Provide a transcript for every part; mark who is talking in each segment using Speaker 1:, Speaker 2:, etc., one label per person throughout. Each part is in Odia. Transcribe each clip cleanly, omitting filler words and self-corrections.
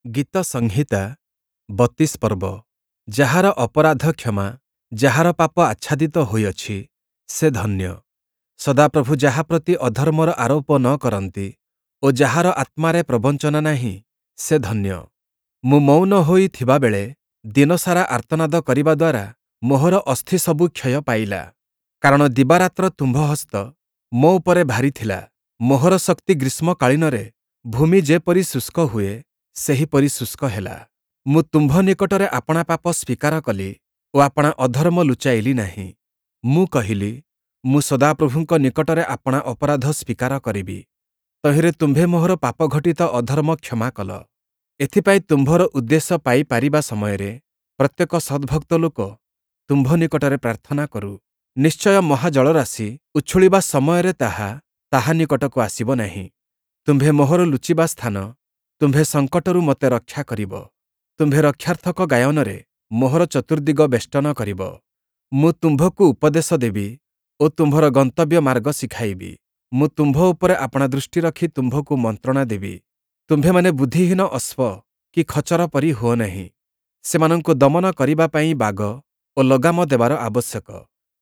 Speaker 1: ଗୀତସଂହିତା 32 ପର୍ବ। ଯାହାର ଅପରାଧ କ୍ଷମା, ଯାହାର ପାପ ଆଚ୍ଛାଦିତ ହୋଇଅଛି, ସେ ଧନ୍ୟ। ସଦାପ୍ରଭୁ ଯାହା ପ୍ରତି ଅଧର୍ମର ଆରୋପ ନ କରନ୍ତି ଓ ଯାହାର ଆତ୍ମାରେ ପ୍ରବଞ୍ଚନା ନାହିଁ, ସେ ଧନ୍ୟ। ମୁଁ ମୌନ ହୋଇ ଥିବାବେଳେ ଦିନସାରା ଆର୍ତ୍ତନାଦ କରିବା ଦ୍ୱାରା ମୋହର ଅସ୍ଥିସବୁ କ୍ଷୟ ପାଇଲା। କାରଣ ଦିବାରାତ୍ର ତୁମ୍ଭ ହସ୍ତ ମୋ ଉପରେ ଭାରୀ ଥିଲା, ମୋହର ଶକ୍ତି ଗ୍ରୀଷ୍ମକାଳୀନରେ ଭୂମି ଯେପରି ଶୁଷ୍କ ହୁଏ, ସେହିପରି ଶୁଷ୍କ ହେଲା। ମୁଁ ତୁମ୍ଭ ନିକଟରେ ଆପଣା ପାପ ସ୍ଵୀକାର କଲି ଓ ଆପଣା ଅଧର୍ମ ଲୁଚାଇଲି ନାହିଁ। ମୁଁ କହିଲି, ମୁଁ ସଦାପ୍ରଭୁଙ୍କ ନିକଟରେ ଆପଣା ଅପରାଧ ସ୍ଵୀକାର କରିବି। ତହିଁରେ ତୁମ୍ଭେ ମୋହର ପାପଘଟିତ ଅଧର୍ମ କ୍ଷମା କଲ। ଏଥିପାଇଁ ତୁମ୍ଭର ଉଦ୍ଦେଶ୍ୟ ପାଇ ପାରିବା ସମୟରେ ପ୍ରତ୍ୟେକ ସଦ୍ଭକ୍ତ ଲୋକ ତୁମ୍ଭ ନିକଟରେ ପ୍ରାର୍ଥନା କରୁ। ନିଶ୍ଚୟ ମହାଜଳରାଶି ଉଛୁଳିବା ସମୟରେ ତାହା ତାହା ନିକଟକୁ ଆସିବ ନାହିଁ। ତୁମ୍ଭେ ମୋହର ଲୁଚିବା ସ୍ଥାନ, ତୁମ୍ଭେ ସଙ୍କଟରୁ ମୋତେ ରକ୍ଷା କରିବ। ତୁମ୍ଭେ ରକ୍ଷାର୍ଥକ ଗାୟନରେ ମୋହର ଚତୁର୍ଦ୍ଦିଗ ବେଷ୍ଟନ କରିବ। ମୁଁ ତୁମ୍ଭକୁ ଉପଦେଶ ଦେବି ଓ ତୁମ୍ଭର ଗନ୍ତବ୍ୟ ମାର୍ଗ ଶିଖାଇବି। ମୁଁ ତୁମ୍ଭ ଉପରେ ଆପଣା ଦୃଷ୍ଟି ରଖି ତୁମ୍ଭକୁ ମନ୍ତ୍ରଣା ଦେବି। ତୁମ୍ଭେମାନେ ବୁଦ୍ଧିହୀନ ଅଶ୍ୱ କି ଖଚର ପରି ହୁଅ ନାହିଁ। ସେମାନଙ୍କୁ ଦମନ କରିବା ପାଇଁ ବାଗ ଓ ଲଗାମ ଦେବାର ଆବଶ୍ୟକ,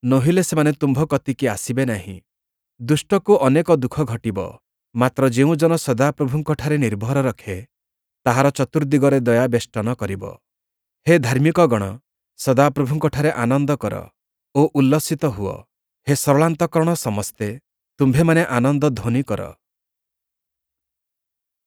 Speaker 1: ନୋହିଲେ ସେମାନେ ତୁମ୍ଭ କତିକି ଆସିବେ ନାହିଁ। ଦୁଷ୍ଟକୁ ଅନେକ ଦୁଃଖ ଘଟିବ, ମାତ୍ର ଯେଉଁ ଜନ ସଦାପ୍ରଭୁଙ୍କଠାରେ ନିର୍ଭର ରଖେ, ତାହାର ଚତୁର୍ଦ୍ଦିଗରେ ଦୟା ବେଷ୍ଟନ କରିବ। ହେ ଧାର୍ମିକଗଣ, ସଦାପ୍ରଭୁଙ୍କଠାରେ ଆନନ୍ଦ କର ଓ ଉଲ୍ଲସିତ ହୁଅ। ହେ ସରଳାନ୍ତଃକରଣ ସମସ୍ତେ, ତୁମ୍ଭେମାନେ ଆନନ୍ଦ ଧ୍ୱନି କର।